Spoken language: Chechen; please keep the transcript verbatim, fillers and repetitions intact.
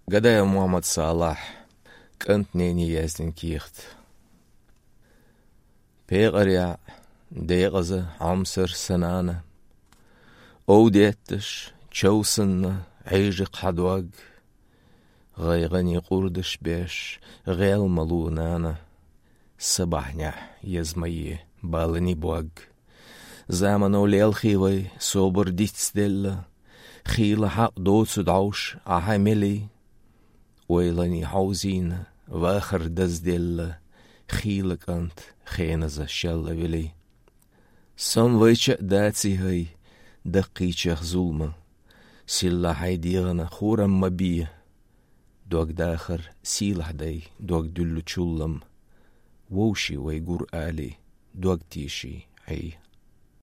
Гадаев Мухьаммад-Салахь, «КӀант-нени» яздина кехат. ПекъаръяӀ, декъаза Ӏомсар сан нана, ов детташ, чов санна, Ӏийжа кхьа дог, гӀайгӀане къурдаш беш, гӀел ма лу, нана, са бахьанехь еза ма е балани бог. Замано лелхий вай, собар дицделла, хийла хьакъ доцу дӀовш Ӏа хьан мелий. Ойлани хьовзийна, вахар дазделла, хийла кӀант хеназа шелла велий. Сом вайча а даций хӀай, даккхийчех зулма, силла хьай дегӀана хурам ма бе. Дог дахар сийлахь дай, дог дуьллу чуллам, вовший вай гур алий, дог тийший хьий